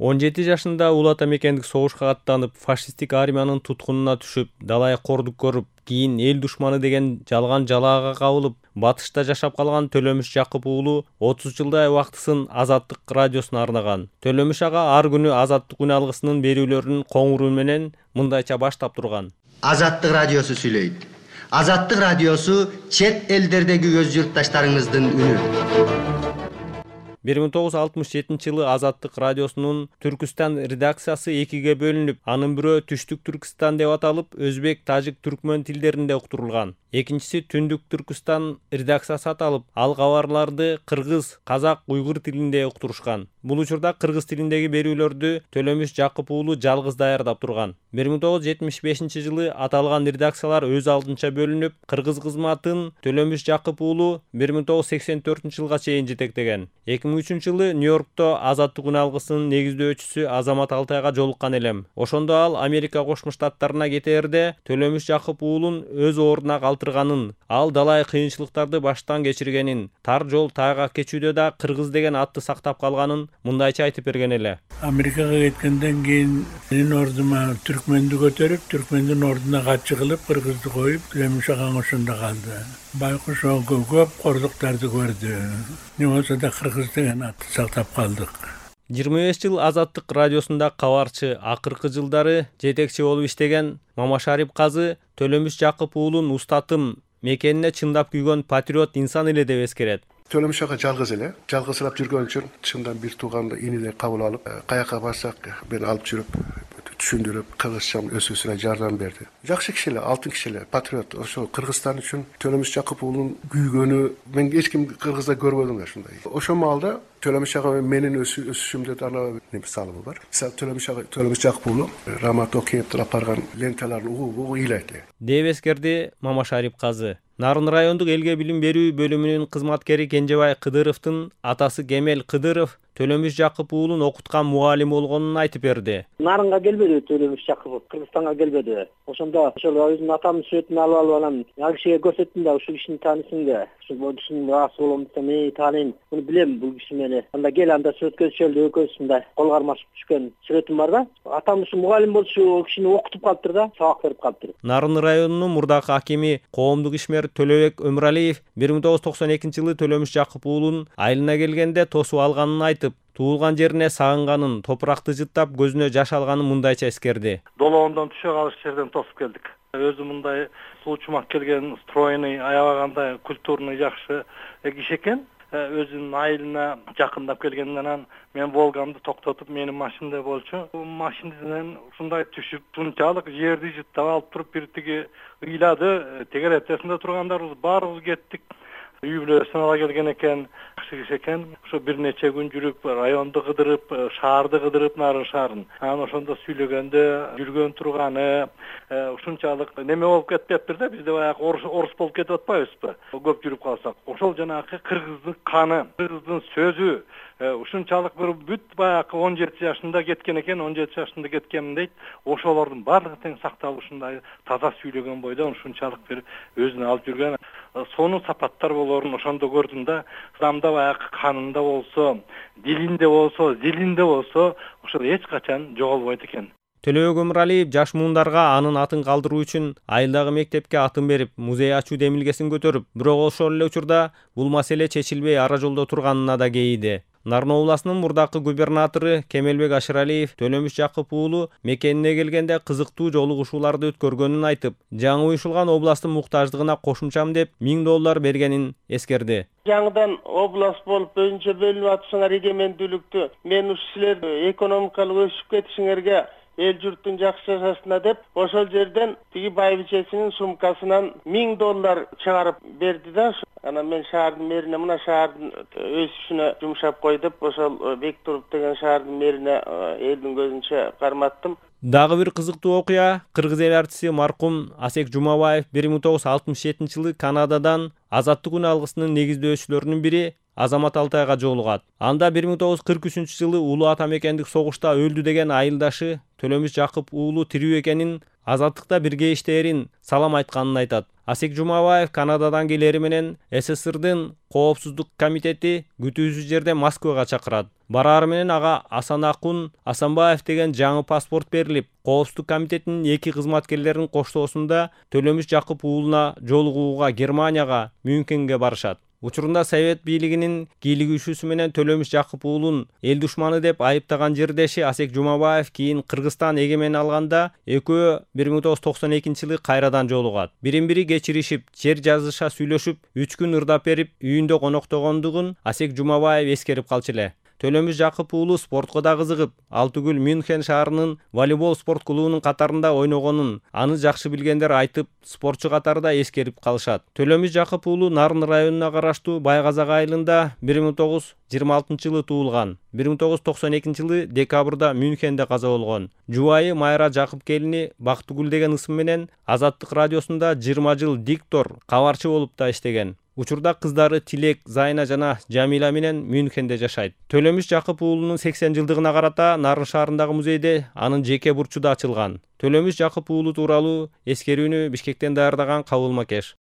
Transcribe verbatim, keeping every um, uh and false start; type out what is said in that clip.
он жети жашында Улуу Ата мекендик согушка аттанып, фашисттик армиянын туткунуна түшүп, далай кордук көрүп, кийин эл душманы деген жалган жалаага кабылып, батышта жашап калган Төлөмүш Жакып уулу отуз жылдай убактысын Азаттык радиосуна арнаган. Төлөмүш ага ар күнү Азаттык үн алгысынын берүүлөрүн коңур үн менен мындайча баштап турган. Азаттык радиосу сүйлөйт. Азаттык радиосу чет элдердеги өз журтташтарыңыздын үнү. бир миң тогуз жүз алтымыш жетинчи жылы Азаттык радиосунун Түркүстан редакциясы экиге бөлүнүп, анын бирөө Түштүк Түркүстан деп аталып, өзбек, тажик, түркмөн тилдеринде уктурулган. Экинчиси Түндүк Түркүстан редакциясы аталып, ал кабарларды кыргыз, казак, уйгур тилинде уктурушкан. Бул учурда кыргыз тилиндеги берүүлөрдү Төлөмүш Жакып уулу жалгыз даярдап турган. бир миң тогуз жүз жетимиш бешинчи жылы аталган редакциялар өз алдынча бөлүнүп, кыргыз кызматын Төлөмүш Жакып уулу бир миң тогуз жүз сексен төртүнчү жылга чейин жетектеген. эки миң үчүнчү жылы Нью-Йоркто Азаттык үн алгысынын негиздөөчүсү Азамат Алтайга жолуккан элем. Ошондо ал Америка Кошмо Штаттарына кетээрде Төлөмүш Жакып уулун өз ордуна калтырганын, ал далай кыйынчылыктарды баштан кечиргенин, тар жол тайгак кечүүдө да кыргыз деген атты сактап калганын мындайча айтып берген эле. Америкага кеткенден кийин менин ордума түркмөндү көтөрүп, түркмөндүн ордуна катчы кылып, кыргызды коюп, Төлөмүш агаң ошондо калды. Байкуш көп кордуктарды көрдү. Не болсо да кыргыз деген атты сактап калдык. жыйырма беш жыл Азаттык радиосунда кабарчы, акыркы жылдары жетекчи болуп иштеген Мамашарип казы Төлөмүш Жакып уулун устатым, мекенине чындап күйгөн патриот инсан эле деп эскерет. Төлөмүш ага жалгыз эле, жалгызсырап жүргөн үчүн чындан бир тууганды инидей кабыл алып, каяка барсак мени алып жүрүп, түшүндүрүп, кыргызча өсүүсүнө жардам берди. Жакшы киши эле, алтын киши эле, патриот. Ошо Кыргызстан үчүн Төлөмүш Жакып уулунун күйгөнү мен эч ким Кыргызда көрбөдүм да ушундай. Ошол маалда Төлөмүш ага менин өсүшүмдө дагы неме салымы бар. Мисалы Төлөмүш ага Төлөмүш Жакып уулу Рамат Океевдин алып барган ленталарын угуп ыйлайт эле. Деп эскерди Мамашарип казы. Нарын райондук элге билим берүү бөлүмүнүн кызматкери Кенжебай Кыдыровдун атасы Кемел Кыдыров Төлөмүш Жакып уулун окуткан мугалим болгонун айтып берди. Нарынга келбеди Төлөмүш Жакып, Кыргызстанга келбеди. Ошондо ошол өзүнүн атамдын сүрөтүн алып алып анан ал кишиге көрсөттүм да, ушул кишини таанысың да. Ушул кишинин раасы болом десем, мен тааныйм, муну билем бул киши мени. Анда кел анда сүрөткө түшөлү, экөөбүз мындай кол кармашып түшкөн сүрөтүм бар да. Атам ушу мугалим болчу кишини окутуп калыптыр да, сабак берип калыптыр. Нарын районунун мурдакы акими, коомдук ишмер Төлөбек Өмүралиев бир миң тогуз жүз токсон экинчи жылы Төлөмүш Жакып уулун айылына келгенде тосуп алганын айтып, туулган жерине сагынганын, топуракты жыттап көзүнө жаш алганын мындайча эскерди. Долоондон түшө калыш жерден тосуп келдик. Өзү мындай суучумак келген, стройный, аябагандай культурный жакшы киши экен. Өзүнүн айылына жакындап келгенден анан мен Волгамды токтотуп, менин машинада болчу. Машинасынан ушундай түшүп, шунчалык жерди жыттап алып туруп, бир тиги ыйлады. Тегер этесинде тургандарыбыз баарыбыз кеттик. Үй бүлөсүн ала келген экен, жакшы киши экен. Ошо бир нече күн жүрүп, районду кыдырып, шаарды кыдырып, Нарын шаарын. Анан ошондо сүйлөгөндө жүргөн турганы ушунчалык неме болуп кетпептир да, бизде баягы орус орус болуп кетип атпайбызбы? Көп жүрүп калсак. Ошол жанагы кыргыздын каны, кыргыздын сөзү ушунчалык бир бүт баягы он жети жашында кеткен экен, он жети жашында кеткенмин дейт. Ошолордун баардыгы тең сакталып ушундай таза сүйлөгөн бойдо ушунчалык бир өзүнө алып жүргөн сонун сапаттар болорун ошондо көрдүм да. Адамда баягы канында болсо, дилинде болсо, зилинде болсо, ошол эч качан жоголбойт экен. Төлөбек Өмүралиев жаш муундарга анын атын калтыруу үчүн айылдагы мектепке атын берип, музей ачуу демилгесин көтөрүп, бирок ошол эле учурда бул маселе чечилбей ара жолдо турганына да кейиди. Нарын областынын мурдакы губернатору Кемелбек Ашыралиев Төлөмүш Жакып уулу мекенине келгенде кызыктуу жолугушууларды өткөргөнүн айтып, жаңы уюшулган областтын муктаждыгына кошумчам деп миң доллар бергенин эскерди. Жаңыдан област болуп өзүнчө бөлүнүп атышыңар эгемендүүлүктү, мен ушу силер экономикалык өсүп кетишиңерге, эл журттун жакшы жашашына деп ошол жерден тиги байбичесинин сумкасынан миң доллар чыгарып берди да. Анан мен шаардын мэрине мына шаардын өсүшүнө жумшап кой деп ошол Бектуруп деген шаардын мэрине элдин көзүнчө карматтым. Дагы бир кызыктуу окуя кыргыз эл артисти маркум Асек Жумабаев бир миң тогуз жүз алтымыш жетинчи жылы Канададан Азаттык үн алгысынын негиздөөчүлөрүнүн бири Азамат Алтайга жолугат. Анда бир миң тогуз жүз кырк үчүнчү жылы Улуу Ата мекендик согушта өлдү деген айылдашы Төлөмүш Жакып уулу тирүү экенин, Азаттыкта бирге иштээрин, салам айтканын айтат. Асек Жумабаев Канададан келери менен СССРдын Коопсуздук комитети күтүүсүз жерде Москвага чакырат. Барары менен ага Асанакун Асанбаев деген жаңы паспорт берилип, Коопсуздук комитетинин эки кызматкерлеринин коштоосунда Төлөмүш Жакып уулуна жолугууга Германияга, Мюнхенге барышат. Учурунда Совет бийлигинин кийлигишүүсү менен Төлөмүш Жакып уулун эл душманы деп айыптаган жердеши Асек Жумабаев кийин Кыргызстан эгемен алганда экөө бир миң тогуз жүз токсон экинчи жылы кайрадан жолугат. Бирин-бири кечиришип, жер жазыша сүйлөшүп, үч күн ырдап берип, үйүндө коноктогондугун Асек Жумабаев эскерип калчу эле. Төлөмүш Жакып уулу спортко да кызыгып, ал түгүл Мюнхен шаарынын волейбол спорт клубунун катарында ойногонун аны жакшы билгендер айтып, спортчу катарында эскерип калышат. Төлөмүш Жакып уулу Нарын районуна караштуу Байказак айылында бир миң тогуз жүз жыйырма алтынчы жылы туулган. бир миң тогуз жүз токсон экинчи жылы декабрда Мюнхенде каза болгон. Жубайы Майра Жакып келини Бактыгүл деген ысым менен Азаттык радиосунда жыйырма жыл диктор, кабарчы болуп да иштеген. Учурда кыздары Тилек, Зайна жана Жамила менен Мюнхенде жашайт. Төлөмүш Жакып уулунун сексен жылдыгына карата Нарын шаарындагы музейде анын жеке бурчу да ачылган. Төлөмүш Жакып уулу тууралуу эскерүүнү Бишкектен даярдаган Кабыл Макеш.